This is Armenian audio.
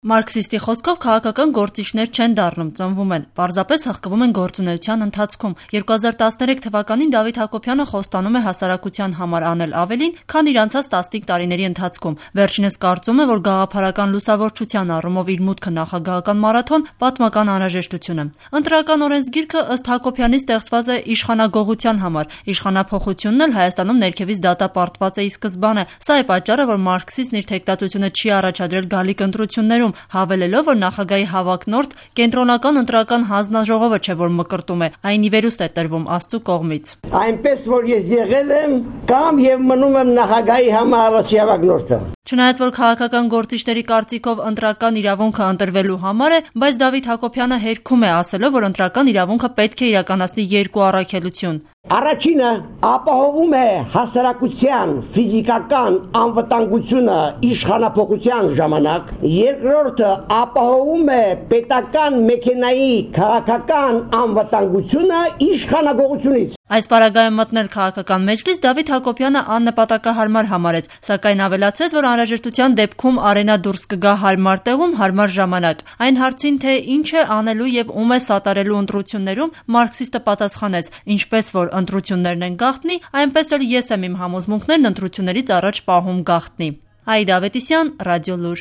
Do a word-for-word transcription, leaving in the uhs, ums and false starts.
Մարքսիստի խոսքով քաղաքական գործիչներ չեն դառնում, ծնվում են, պարզապես հղկվում են գործունեության ընթացքում։ երկու հազար տասներեք թվականին Դավիթ Հակոբյանը խոստանում է հասարակության համար անել ավելին, քան իր անցած տասնյակ տարիների ընթացքում։ Վերջինս կարծում է, որ գաղափարական լուսավորչության առումով իր մուտքը նախագահական մարաթոն պատմական անհրաժեշտություն է։ Ընտրական օրենսգիրքը ըստ Հակոբյանի ստեղծված է իշխանագողության համար, իշխանափոխությունն էլ Հայաստանում ներքևից դատապարտված է ի սկզբանե։ Սա է պատճառը, որ մարքսիստն իր թեկտածությունը չի առաջադրել գալիք ընտրություններում, հավելելով, որ նախագահի հավակնորդ կենտրոնական ընտրական հանձնաժողովը չէ, որ մկրտում է, այն ի վերուստ է տրվում Աստծու կողմից։ Այնպես որ ես եղել եմ կամ եւ մնում եմ նախագահի համար առաջի հավակնորդը։ Չնայած որ քաղաքական գործիչների կարծիքով ընտրական իրավունքը ընտրվելու համար է, բայց Դավիթ Հակոբյանը հերքում է ասելով, որ ընտրական իրավունքը պետք է իրականացնի երկու առաքելություն։ Առաջինը ապահովում է հասարակության ֆիզիկական անվտանգությունը իշխանափոխության ժամանակ, երկրորդը ապահովում է պետական մեքենայի քաղաքական անվտանգությունը իշխանագողությունից։ Այս պարագայում մտնել քաղաքական մեջլիս Դավիթ Հակոբյանը աննպատակահարմար համարեց, սակայն ավելացրեց, որ անհրաժեշտության դեպքում Արենա դուրս կգա հարմար տեղում, հարմար ժամանակ։ Այն հարցին, թե ինչ է անելու եւ ում է սատարելու ընտրություններում, մարքսիստը պատասխանեց. ինչպես որ ընտրություններն են գաղտնի, այնպես էլ ես եմ իմ համոզմունքներն ընտրություններից առաջ պահում գաղտնի։ Աիդա Ավետիսյան, Ռադիոլուր։